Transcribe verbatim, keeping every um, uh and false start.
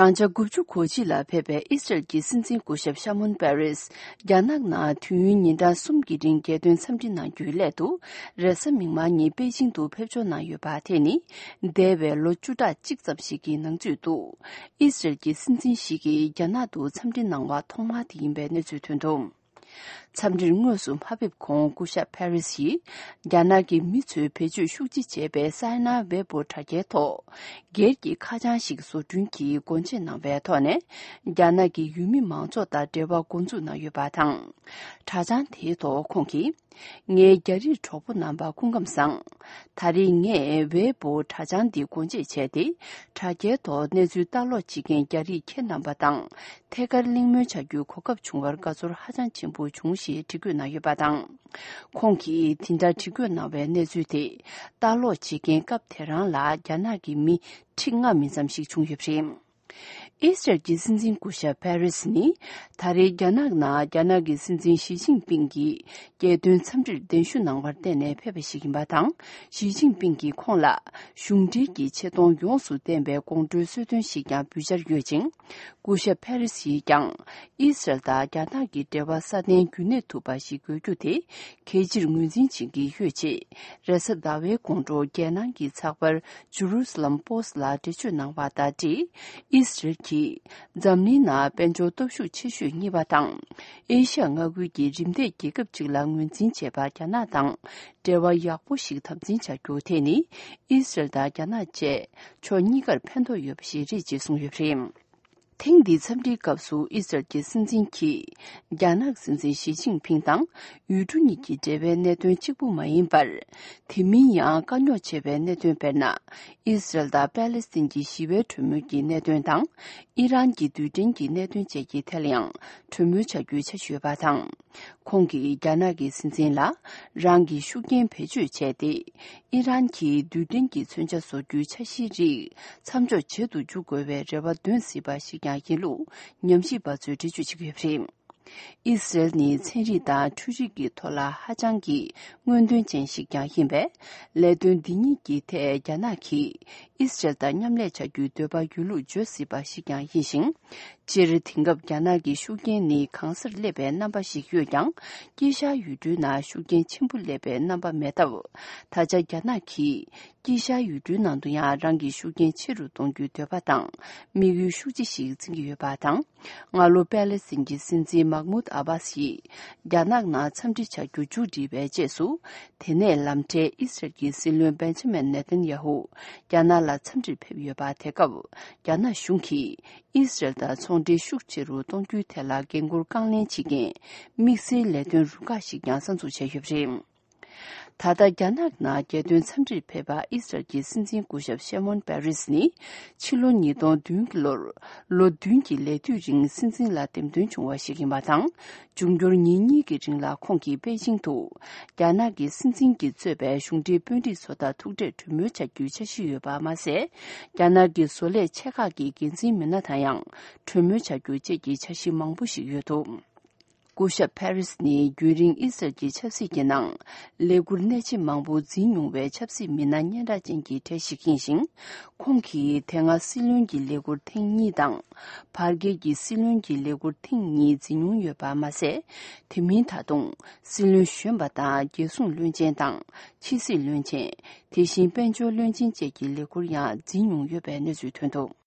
ཡང་ཆ་དགུ་བཅུ་གོ་གཅིག་ལ་ཕེབས་པའི་ཨི་སི་རལ་གྱི་སྲིད་འཛིན་སྐུ་ཞབས་ཤ་མོན་པེ་རེས། རྒྱ་ནག་ནང་དུས་ཡུན་ཉིན་གྲངས་གསུམ་གྱི་རིང་རྒྱལ་དོན་འཚམས་འདྲི་གནང་རྒྱུའི་སླད་དུ། རེས་གཟའ་མིག་དམར་ཉིན་པེ་ཅིང་དུ་ཕེབས་འབྱོར་གནང་ཡོད་པ། དེ་ནི་འདས་པའི་ལོ་བཅུ་ཕྲག་གཅིག་ཙམ་ཞིག་གི་ནང་ཚུད་དུ། ཨི་སི་རལ་གྱི་སྲིད་འཛིན་ཞིག་གིས་རྒྱ་ནག་ཏུ་འཚམས་འདྲི་གནང་བ་ཐོག་མ་དེ་ཡིན་པའི་གནས་ཚུལ་ཐོན་འདུག་འཚམས་འདྲིར་དངོས་སུ་མ་ཕེབས་གོང་སྐུ་ཞབས་ཕེ་རི་སི་ཡིས། རྒྱ་ནག་གི་མི་ཚོས་བེད་སྤྱོད་ཤུགས་ཆེ་བྱས་པའི་སའེ་ན་ཝེ་པོ་དྲ་རྒྱའི་ཐོག་སྒེར་གྱི་ཁ་བྱང་ཞིག་བཟོ་སྐྲུན་གྱིས་སྒོ་འབྱེད་གནང་བའི་ཐོག་ནས། རྒྱ་ནག་གི་ཡུལ་མི་མང་ཚོགས་དང་འབྲེལ་བ་འགོ་འཛུགས་གནང་ཡོད་པ་དང་། དྲ་བྱང་དེའི་ཐོག་ཁོང་གིས། ངའི་རྒྱ་རིགས་གྲོགས་པོ་རྣམ་པ་སྐུ་ཁམས་བཟང་། ད་རེས་ངས་ཝེ་པོ་དྲ་བྱང་འདི་སྒོ་འབྱེད་བྱས་ཏེ། དྲ་རྒྱའི་ཐོག་གནས་ཚུལ་ལྟ་ཀློག་བྱེད་མཁན་རྒྱ་རིགས་ཁྱེད་རྣམ་པ་དང་། ཐད་ཀར་གླེང་མོལ་བྱ་རྒྱུའི་གོ་སྐབས་བྱུང་བར་དགའ་ཚོར་ཧ་ཅང་ཆེན་པོ་བྱུང་ཞེས་བྲིས་བཀོད་གནང་ཡོད་པ་དང་། ཁོང་གིས་དེ་འདྲ་བྲིས་བཀོད་གནང་བའི་གནས་ཚུལ་དེ། ལྟ་ཀློག་བྱེད་མཁན་སྐབས་དེ་རང་ལ་རྒྱ་ནག་གི་མི་ཁྲི་ལྔ་མིན་ཙམ་ཞིག་བྱུང་ཡོད་པ་རེད། ཨི་སི་རལ་གྱི་སྲིད་འཛིན་སྐུ་ཞབས་ཕེ་རེས་ནི། ད་རེས་རྒྱ་ནག་ནང་རྒྱ་ནག་གི་སྲིད་འཛིན་ཞི་ཅིན་ཕིང་གིས་རྒྱལ་དོན་འཚམས་འདྲིར་གདན་ཞུ་གནང་བར་བརྟེན་ནས་ཕེབས་པ་ཞིག་ཡིན་པ་དང་། ཞི་ཅིན་ཕིང་གིས་ཁོང་ལ་གཞུང་འབྲེལ་གྱི་ཆེ་མཐོང་ཡོངས་སུ་ལྡན་པའི་དགོང་དྲོའི་གསོལ་སྟོན་ཞིག་ཀྱང་འབུལ་འཆར་ཡོད་ཅིང་། སྐུ་ཞབས་ཕེ་རེས་ཡིས་ཀྱང་། ཨི་སི་རལ་དང་རྒྱ་ནག་གི་འབྲེལ་བ་སྲ་བརྟན་རྒྱུན་གནས་ཐུབ་པ་ཞིག་དགོས་རྒྱུ་དེ་གལ་ཆེར་ངོས་འཛིན་བྱེད་ཀྱི་ཡོད་ཅེས། རེས་གཟའ་ཟླ་བའི་དགོང་དྲོ་རྒྱལ་ནང་གི་ཚགས་པར་ཇུ་རུ་ཟ་ལམ་པོ་སི་ལ་འགྲེལ་བརྗོད་གནང་བ་དང་འབྲེལ། ཨི་སི་རལ་གྱིས་འཛམ་གླིང་ནང་དཔལ་འབྱོར་སྟོབས་ཤུགས་ཆེ་ཤོས་གཉིས་པ་དང་། ཨེ་ཤ་ཡ་མངའ་ཁུལ་གྱི་རིམ་འདས་རྒྱལ་ཁབ་ཅིག་ལ་ངོས་འཛིན་བྱས་པ་རྒྱ་ནག་དང་འབྲེལ་བ་ཡག་པོ་ཞིག་དམ་འཛིན་བྱ་རྒྱུ་དེ་ནི། ཨི་སི་རལ་དང་རྒྱ་ནག་བཅས་ཕྱོགས་གཉིས་ཀར་ཕན་ཐོགས་ཡོད་པ་ཞིག་རེད་ཅེས་གསུངས་ཡོད་པ་རེད། ཐེངས་འདིའི་འཚམས་འདྲིའི་སྐབས་སུ་ཨི་སི་རལ་གྱི་སྲིད་འཛིན་གྱིས་རྒྱ་ནག་སྲིད་འཛིན་ཞི་ཅིན་ཕིང་དང་ཡུལ་གྲུ་གཉིས་ཀྱི་འབྲེལ་བའི་གནད་དོན་གཅིག་པུ་མ་ཡིན་པར། དེ་མིན་ཡང་དཀའ་རྙོག་ཆེ་བའི་གནད་དོན། དཔེར་ན། ཨི་སི་རལ་དང་པེ་ལེ་སི་ཐན་གྱི་ཞི་བའི་གྲོས་མོལ་གྱི་གནད་དོན་དང་། ཨི་རན་གྱི་རྡུལ་ཕྲན་གྱི་གནད་དོན་བཅས་ཀྱི་ཐད་ལ་ཡང་གྲོས་མོལ་བྱ་རྒྱུའི་འཆར་གཞི་ཡོད་པ་དང་། ཁོང་གིས་རྒྱ་ནག་གི་སྲིད་འཛིན་ལ་རང་གི་ཤུགས་རྐྱེན་བེད་སྤྱོད་བྱས་ཏེ། ཨི་རན་གྱིས་རྡུལ་ཕྲན་གྱི་མཚོན་ཆ་བཟོ་རྒྱུའི་འཆར་གཞིའི་རིགས་མཚམས་འཇོག་བྱེད་དུ་འཇུག་དགོས་པའི་རེ་བ་འདོན་སྲིད་པ་ཞིག་ཀྱང་ཡིན་ལུགས་ཉམས་ཞིབ་པ་ཚོས་འགྲེལ་བརྗོད་བྱེད་ཀྱི་ཡོད་པ་རེད། ཨི་སི་རལ་ནི་ཚན་རིག་དང་འཕྲུལ་རིག་གི་ཐོག་ལ་ཧ་ཅང་གི་སྔོན་ཐོན་ཅན་ཞིག་ཀྱང་ཡིན་པས། ལས་དོན་འདི་གཉིས་ཀྱི་ཐད་རྒྱ་ནག་གིས་ཨི་སི་རལ་དང་མཉམ་ལས་བྱ་རྒྱུའི་འདོད་པ་ཡོད་ལུགས་བརྗོད་སྲིད་པ་ཞིག་ཀྱང་ཡིན་ཞིང་། སྤྱིར་དེང་སྐབས་རྒྱ་ནག་གི་ཤུགས་རྐྱེན་ནི་གང་སར་སླེབས་པའི་རྣམ་པ་ཞིག་ཡོད་ཀྱང་། དཀྱིལ་ཤར་ཡུལ་གྲུའི་ནང་ཤུགས་རྐྱེན་ཆེན་པོ་སླེབས་པའི་རྣམ་པ་མེད་སྟབས། ད་ཆ་རྒྱ་ནག་གིས་དཀྱིལ་ཤར་ཡུལ་གྲུའི་ནང་དུ་ཡང་རང་གི་ཤུགས་རྐྱེན་ཆེ་རུ་གཏོང་རྒྱུའི་འདོད་པ་དང་དམིགས་ཡུལ་ཤུགས་ཆེ་ཞིག་འཛིན་གྱི་ཡོད་པ་དང་། སྔ་ལོ་པེ་ལེ་སི་ཐན་གྱི་སྲིད་འཛིན་མཱ་ཧ་མུད་ཨ་བྷ་སི་ཡིས་རྒྱ་ནག་ནང་འཚམས་འདྲི་བྱ་རྒྱུ་མཇུག་བསྒྲིལ་བའི་རྗེས་སུ། དེ་ནས་ལམ་འཕྲལ་ཨི་སི་རལ་གྱི་སྲིད་བློན་བེན་ཇ་མིན་ནེ་ཐན་ཡ་ཧུ་རྒྱ་ནག་ལ་འཚམས་འདྲིར་ཕེབས་ཡོད་པ། དེ་སྐབས་རྒྱ་ནག་གཞུང་གིས་ཨི་སི་རལ་དང་ཚོང་འབྲེལ་ཤུགས་ཆེ་རུ་གཏོང་རྒྱུའི་ཐད་ལ་འགན་འཁུར་རྐང་ལེན་བྱེད་མཁན་དམིགས་བསལ་ལས་དོན་རུ་ཁག་ཞིག་ཀྱང་གསར་འཛུགས་བྱས་ཡོད་པ་རེད། ད་ལྟ་རྒྱ་ནག་ནང་རྒྱལ་དོན་འཚམས་འདྲིར་ཕེབས་པ་ཨི་སི་རལ་གྱི་སྲིད་འཛིན་སྐུ་ཞབས་ཤེ་མོན་པེ་རེས་ནི། ཕྱི་ལོ་ཉིས་སྟོང་བདུན་གྱི་ལོར་ལོ་བདུན་གྱི་ལས་དུས་རིང་སྲིད་འཛིན་ལ་འདེམས་ཐོན་བྱུང་བ་ཞིག་ཡིན་པ་དང་། འབྱུང་འགྱུར་ཉིན་གཉིས་ཀྱི་རིང་ལ་ཁོང་གིས་པེ་ཅིང་དུ་རྒྱ་ནག་གི་སྲིད་འཛིན་གྱིས་གཙོས་པའི་གཞུང་འབྲེལ་དཔོན་རིགས་ཚོ་དང་ཐུག་འཕྲད་གྲོས་མོལ་བྱ་རྒྱུའི་འཆར་གཞི་ཡོད་པ་མ་ཟད། རྒྱ་ནག་གི་བཟོ་ལས་ཆེ་ཁག་གི་འགན་འཛིན་མི་སྣ་དང་ཡང་གྲོས་མོལ་བྱ་རྒྱུ་བཅས་ཀྱི་འཆར་གཞི་མང་པོ་ཞིག་ཡོད་འདུག་སྐུ་ཞབས་ཕེ་རིས་ནི་རྒྱུན་རིང་ཨི་སི་རལ་གྱི་ཆབ་སྲིད་ཀྱི་ནང་ལས་འཁུར་གནད་ཆེ་མང་པོ་འཛིན་མྱོང་བའི་ཆབ་སྲིད་མི་སྣ་སྙན་གྲགས་ཅན་གྱི་གྲས་ཤིག་ཡིན་ཞིང་། ཁོང་གིས་དེ་སྔ་སྲིད་བློན་གྱི་ལས་འཁུར་ཐེངས་གཉིས་དང་། བར་བརྒལ་གྱི་སྲིད་བློན་གྱི་ལས་འཁུར་ཐེངས་གཉིས་འཛིན་མྱོང་ཡོད་པ་མ་ཟད། དེ་མིན་ད་དུང་སྲིད་བློན་གཞོན་པ་དང་རྒྱལ་སྲུང་བློན་ཆེན་དང་ཕྱི་སྲིད་བློན་ཆེན། དེ་བཞིན་དཔལ་འབྱོར་བློན་ཆེན་བཅས་ཀྱི་ལས་འཁུར་ཡང་འཛིན་མྱོང་ཡོད་པའི་གནས་ཚུལ་ཐོན་འདུག